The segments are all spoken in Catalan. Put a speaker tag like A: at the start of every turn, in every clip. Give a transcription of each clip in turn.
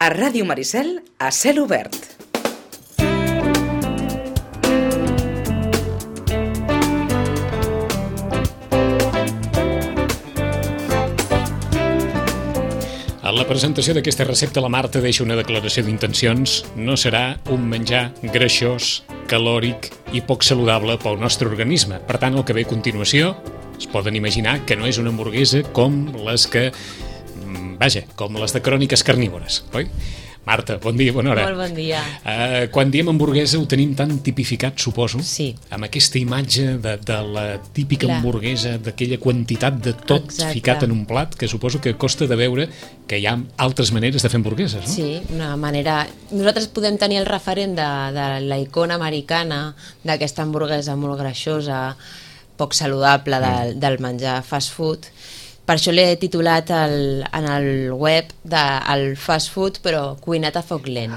A: A Ràdio Maricel, a cel obert.
B: En la presentació d'aquesta recepta, la Marta deixa una declaració d'intencions. No serà un menjar greixós, calòric i poc saludable pel nostre organisme. Per tant, el que ve a continuació es poden imaginar que no és una hamburguesa com les que... com les de cròniques carnívores, oi? Marta, bon dia, bona hora.
C: Molt bon dia.
B: Quan diem hamburguesa ho tenim tan tipificat, suposo,
C: sí,
B: amb aquesta imatge de la típica hamburguesa, d'aquella quantitat de tot ficat en un plat, que suposo que costa de veure que hi ha altres maneres de fer hamburgueses, no?
C: Sí, una manera... Nosaltres podem tenir el referent de la icona americana, d'aquesta hamburguesa molt greixosa, poc saludable del menjar fast food. Per això l'he titulat en el web el fast food, però cuinat a foc lent,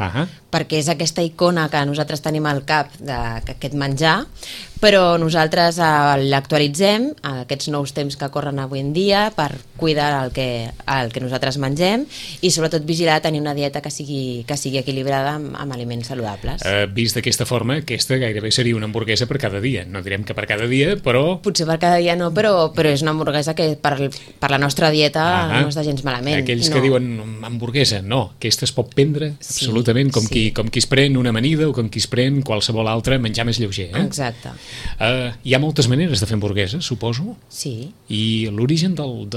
C: perquè és aquesta icona que nosaltres tenim al cap d'aquest menjar, però nosaltres l'actualitzem a aquests nous temps que corren avui en dia per cuidar el que nosaltres mengem i sobretot vigilar tenir una dieta que sigui equilibrada amb aliments saludables.
B: Vist d'aquesta forma, aquesta gairebé seria una hamburguesa per cada dia. No direm que per cada dia, però...
C: Potser per cada dia no, però és una hamburguesa que per la nostra dieta no està gens malament.
B: Aquells que diuen hamburguesa, no, aquesta es pot prendre absolutament com qui es pren una amanida o com qui es pren qualsevol altre menjar més lleuger.
C: Exacte.
B: Hi ha moltes maneres de fer hamburgueses, suposo?
C: Sí.
B: I l'origen del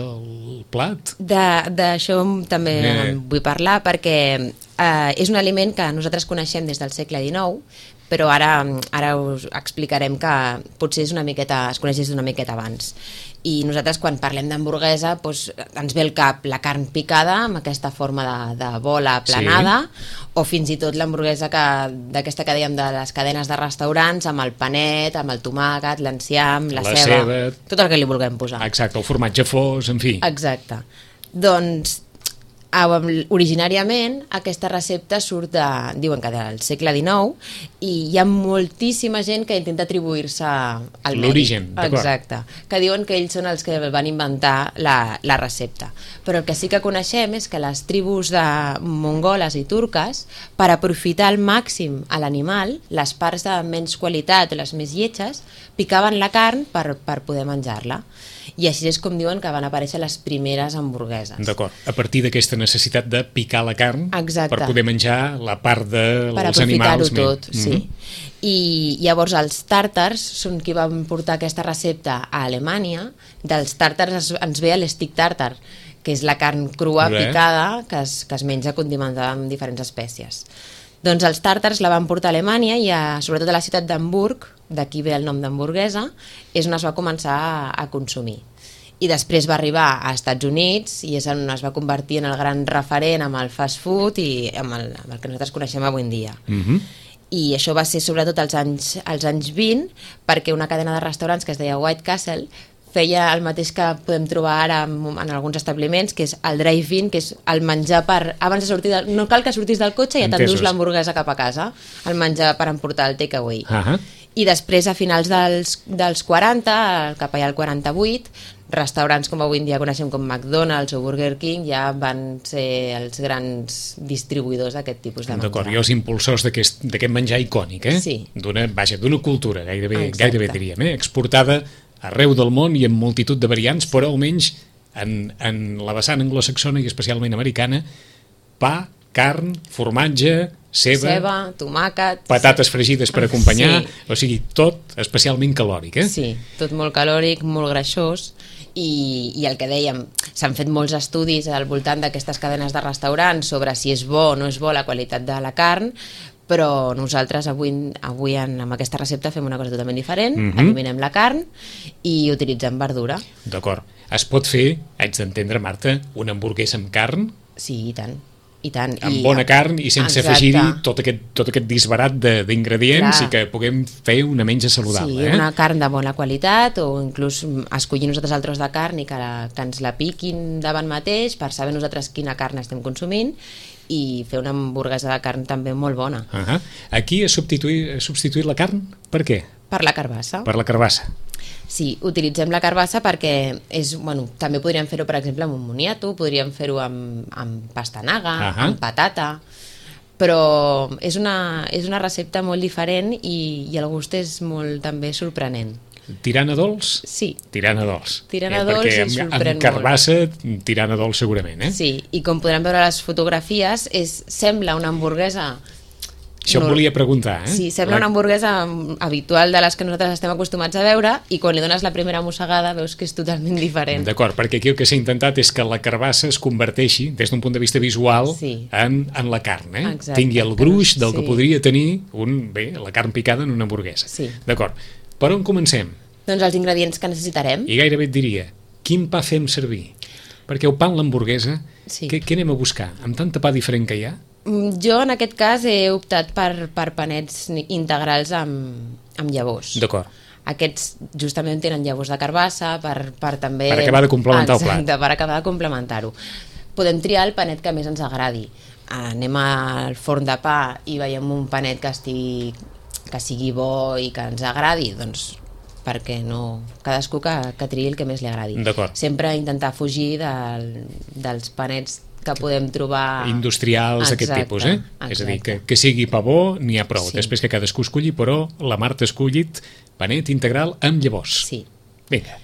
B: plat?
C: D'això també vull parlar perquè és un aliment que nosaltres coneixem des del segle XIX, però ara us explicarem que potser es coneix una miqueta abans. I nosaltres quan parlem d'hamburguesa ens ve al cap la carn picada amb aquesta forma de bola aplanada, o fins i tot l'hamburguesa d'aquesta que dèiem de les cadenes de restaurants amb el panet, amb el tomàquet, l'enciam, la ceba, tot el que li vulguem posar.
B: Exacte, el formatge fos, en fi.
C: Exacte. Doncs originàriament aquesta recepta surt diuen que del segle XIX, i hi ha moltíssima gent que intenta atribuir-se al mèrit.
B: L'origen, d'acord.
C: Exacte, que diuen que ells són els que van inventar la recepta. Però el que sí que coneixem és que les tribus de mongoles i turques, per aprofitar al màxim a l'animal, les parts de menys qualitat o les més lletges, picaven la carn per poder menjar-la. I així és com diuen que van aparèixer les primeres hamburgueses.
B: D'acord, a partir d'aquesta necessitat de picar la carn per poder menjar la part dels animals.
C: Per aprofitar-ho tot, sí. I llavors els tàrtars són qui van portar aquesta recepta a Alemanya. Dels tàrtars ens ve l'stick tàrtar, que és la carn crua picada que es menja condimentada amb diferents espècies. Doncs els tàrtars la van portar a Alemanya i sobretot a la ciutat d'Hamburg, d'aquí ve el nom d'hamburguesa, és on es va començar a consumir. I després va arribar a Estats Units i és on es va convertir en el gran referent amb el fast food i amb el que nosaltres coneixem avui en dia. I això va ser sobretot als anys 20, perquè una cadena de restaurants que es deia White Castle feia el mateix que podem trobar ara en alguns establiments, que és el drive-in, que és el menjar abans de sortir no cal que sortis del cotxe i ja t'endús l'hamburguesa cap a casa, el menjar per emportar el takeaway. I després, a finals dels 40, cap allà al 48, restaurants com avui en dia coneixem com McDonald's o Burger King ja van ser els grans distribuïdors d'aquest tipus de menjar.
B: D'acord, i els impulsors d'aquest menjar icònic,
C: Sí.
B: D'una cultura, gairebé diríem, exportada arreu del món i amb multitud de variants, però almenys en la vessant anglosaxona i especialment americana, pa, carn, formatge, ceba,
C: tomàquet,
B: patates fregides per acompanyar, o sigui, tot especialment calòric,
C: Sí, tot molt calòric, molt greixós, i el que dèiem, s'han fet molts estudis al voltant d'aquestes cadenes de restaurants sobre si és bo o no és bo la qualitat de la carn, però nosaltres avui amb aquesta recepta fem una cosa totalment diferent, eliminem la carn i utilitzem verdura.
B: D'acord. Es pot fer, haig d'entendre, Marta, una hamburguesa amb carn?
C: Sí, i tant. Amb
B: bona carn i sense afegir-hi tot aquest disbarat d'ingredients i que puguem fer una menja saludable.
C: Sí, una carn de bona qualitat, o inclús escollir nosaltres el tros de carn i que ens la piquin davant mateix per saber nosaltres quina carn estem consumint i fer una hamburguesa de carn també molt bona.
B: Aquí ha substituït la carn? Per què?
C: Per la carbassa.
B: Per la carbassa.
C: Sí, utilitzem la carbassa perquè també podríem fer-ho, per exemple, amb un moniato, podríem fer-ho amb pastanaga, amb patata, però és una recepta molt diferent i el gust és molt també sorprenent.
B: Tirant a dolç?
C: Sí.
B: Tirant a dolç.
C: Tirant a dolç i sorprèn molt.
B: Amb carbassa, tirant a dolç segurament, eh?
C: Sí, i com podran veure a les fotografies, sembla una hamburguesa...
B: Això em volia preguntar, eh?
C: Sí, sembla una hamburguesa habitual de les que nosaltres estem acostumats a veure i quan li dones la primera mossegada veus que és totalment diferent.
B: D'acord, perquè aquí el que s'ha intentat és que la carbassa es converteixi, des d'un punt de vista visual, en la carn, eh?
C: Exacte.
B: Tingui el gruix del que podria tenir la carn picada en una hamburguesa.
C: Sí.
B: D'acord. Per on comencem?
C: Doncs els ingredients que necessitarem.
B: I gairebé et diria, quin pa fem servir? Perquè el pa en l'hamburguesa, què anem a buscar? Amb tanta pa diferent que hi ha?
C: Jo, en aquest cas, he optat per panets integrals amb llavors.
B: D'acord.
C: Aquests justament tenen llavors de carbassa per també...
B: Per acabar de complementar el plat.
C: Exacte, per acabar de complementar-ho. Podem triar el panet que més ens agradi. Anem al forn de pa i veiem un panet que sigui bo i que ens agradi, doncs perquè no, cadascú que triï el que més li agradi. Sempre intentar fugir dels panets que podem trobar...
B: Industrials d'aquest tipus, eh?
C: Exacte.
B: És a dir, que sigui pa bo, n'hi ha prou. Després que cadascú escolli, però la Marta ha escollit panet integral amb llavors.
C: Sí.
B: Vinga.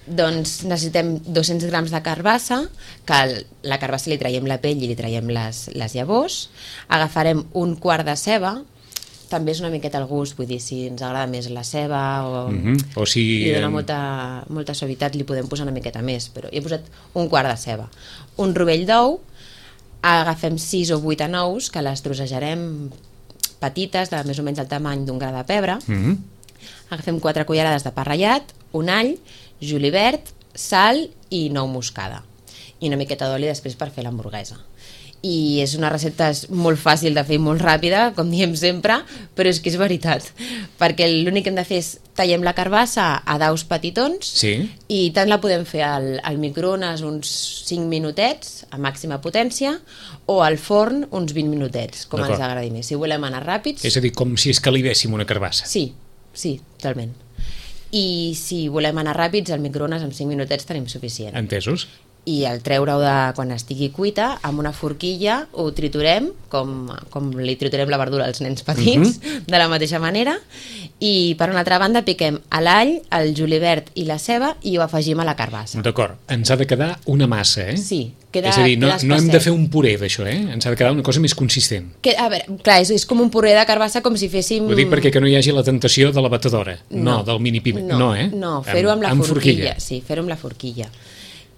C: Doncs necessitem 200 grams de carbassa, que la carbassa li traiem la pell i li traiem les llavors. Agafarem un quart de ceba, també és una miqueta al gust, vull dir, si ens agrada més la ceba
B: o si
C: li dona molta suavitat, li podem posar una miqueta més, però hi he posat un quart de ceba. Un rovell d'ou, agafem 6 o 8 anous, que les trossejarem petites, de més o menys el tamany d'un gra de pebre. Agafem 4 cullerades de pa ratllat, un all, julivert, sal i nou moscada. I una miqueta d'oli després per fer l'hamburguesa. I és una recepta molt fàcil de fer i molt ràpida, com diem sempre, però és que és veritat, perquè l'únic que hem de fer és tallem la carbassa a daus petitons i tant la podem fer al microones uns 5 minutets a màxima potència o al forn uns 20 minutets, com ens agradi més. Si volem anar ràpids...
B: És a dir, com si escalivéssim una carbassa.
C: Sí, totalment. I si volem anar ràpids, al microones amb 5 minutets tenim suficient.
B: Entesos.
C: I al treure-ho quan estigui cuita, amb una forquilla ho triturem, com li triturem la verdura als nens petits, de la mateixa manera, i per una altra banda piquem l'all, el julivert i la ceba i ho afegim a la carbassa.
B: D'acord, ens ha de quedar una massa, eh?
C: Sí, queda
B: és a dir, no
C: espesset.
B: Hem de fer un puré d'això, eh? Ens ha de quedar una cosa més consistent.
C: A veure, clar, és com un puré de carbassa, com si féssim...
B: Ho dic perquè que no hi hagi la tentació de la batedora, no del mini-pime, no, eh?
C: No, fer-ho amb la forquilla. Sí, fer-ho amb la forquilla.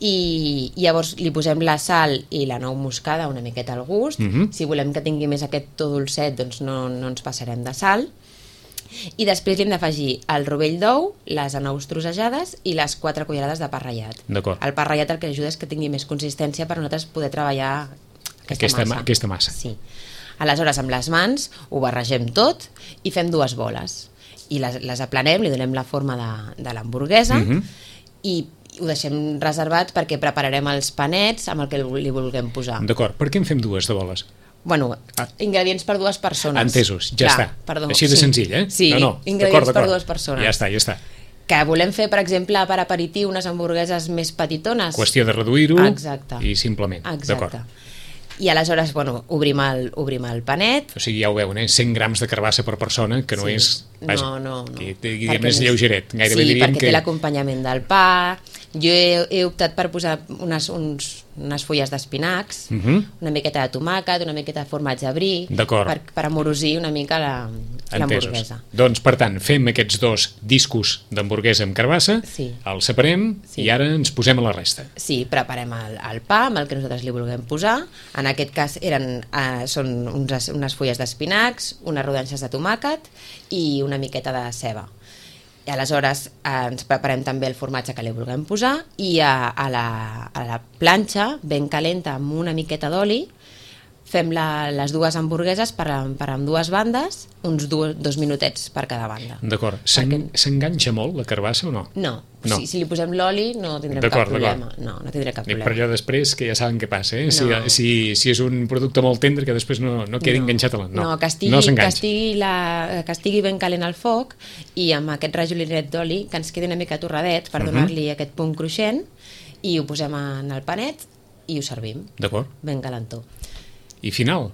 C: I llavors li posem la sal i la nou moscada una miqueta al gust. Si volem que tingui més aquest to dolcet, doncs no ens passarem de sal. I després li hem d'afegir el rovell d'ou, les anous trossejades i les 4 cullerades de pa ratllat. El pa ratllat el que ajuda és que tingui més consistència per nosaltres poder treballar
B: aquesta massa.
C: Sí. Aleshores, amb les mans ho barregem tot i fem 2 boles. I les aplanem, li donem la forma de l'hamburguesa i ho deixem reservat perquè prepararem els panets amb el que li vulguem posar.
B: D'acord, per què en fem 2 de boles?
C: Bueno, ingredients per 2 persones.
B: Entesos, ja està.
C: Perdó,
B: així de senzill, eh?
C: Sí, ingredients per 2 persones.
B: Ja està.
C: Que volem fer, per exemple, per aperitiu unes hamburgueses més petitones.
B: Qüestió de reduir-ho i simplement.
C: Exacte. I aleshores, obrim el panet.
B: O sigui, ja ho veuen, 100 grams de carbassa per persona, que no és...
C: No.
B: Que més lleugeret. Gairebé
C: sí,
B: diríem
C: perquè té l'acompanyament del pa. Jo he optat per posar unes fulles d'espinacs, una miqueta de tomàquet, una miqueta de formatge brie, per amorosir una mica l'hamburguesa.
B: Doncs, per tant, fem aquests 2 discos d'hamburguesa amb carbassa, els separem i ara ens posem a la resta.
C: Sí, preparem el pa amb el que nosaltres li vulguem posar. En aquest cas són unes fulles d'espinacs, unes rodanxes de tomàquet i una miqueta de ceba. I aleshores ens preparem també el formatge que li vulguem posar i a la planxa ben calenta amb una miqueta d'oli fem les dues hamburgueses per ambdues bandes, uns 2 minutets per cada banda.
B: D'acord. S'enganxa molt la carbassa o no?
C: No. Si li posem l'oli no tindrem cap problema. No tindrem cap problema.
B: Per allò després, que ja saben què passa, eh? Si és un producte molt tendre, que després no quedi enganxat a la...
C: No, que estigui ben calent al foc i amb aquest rajolinet d'oli que ens quedi una mica torradet per donar-li aquest punt cruixent, i ho posem en el panet i ho servim.
B: D'acord.
C: Ben calentó.
B: I final.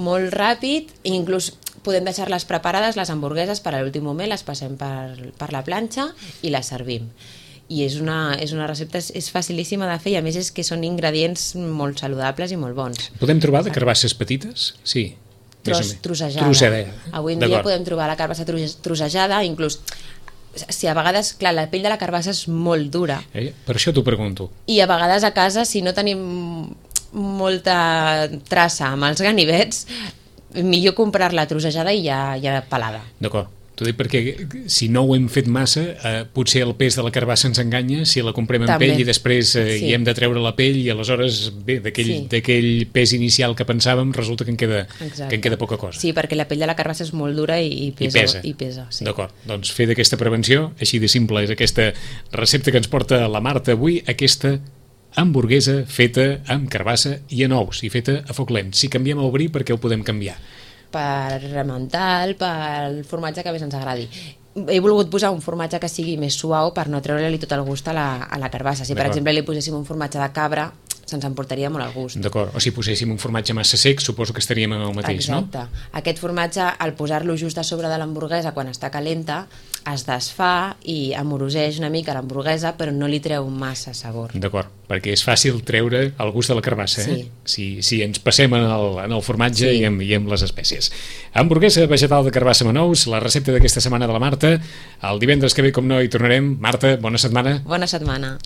C: Molt ràpid, inclús podem deixar-les preparades, les hamburgueses, per a l'últim moment, les passem per la planxa i les servim. I és una recepta, és facilíssima de fer, i a més és que són ingredients molt saludables i molt bons.
B: Podem trobar de carbasses petites? Sí.
C: Trossejada. Avui en dia podem trobar la carbassa trossejada, inclús si a vegades, clar, la pell de la carbassa és molt dura.
B: Per això t'ho pregunto.
C: I a vegades a casa, si no tenim molta traça amb els ganivets, millor comprar-la trossejada i ja pelada.
B: D'acord. T'ho dic perquè si no ho hem fet massa, potser el pes de la carbassa ens enganya si la comprem en pell i després hi hem de treure la pell, i aleshores, bé, d'aquell pes inicial que pensàvem, resulta que en queda poca cosa.
C: Sí, perquè la pell de la carbassa és molt dura i pesa. Sí.
B: D'acord, doncs fer d'aquesta prevenció, així de simple és aquesta recepta que ens porta la Marta avui, aquesta hamburguesa feta amb carbassa i en ous, i feta a foc lent. Si canviem a obrir, per què ho podem canviar?
C: Per remental, pel formatge que més ens agradi. He volgut posar un formatge que sigui més suau per no treure-li tot el gust a la carbassa. Si per exemple li poséssim un formatge de cabra, se'ns emportaria molt el gust.
B: D'acord, o si poséssim un formatge massa sec, suposo que estaríem en el mateix, no?
C: Exacte. Aquest formatge, al posar-lo just a sobre de l'hamburguesa quan està calenta, es desfà i amoroseix una mica l'hamburguesa, però no li treu massa sabor.
B: D'acord, perquè és fàcil treure el gust de la carbassa, si ens passem en el formatge i amb les espècies. Hamburguesa vegetal de carbassa amb ous, la recepta d'aquesta setmana de la Marta. El divendres que ve, com no, hi tornarem. Marta, bona setmana.
C: Bona setmana.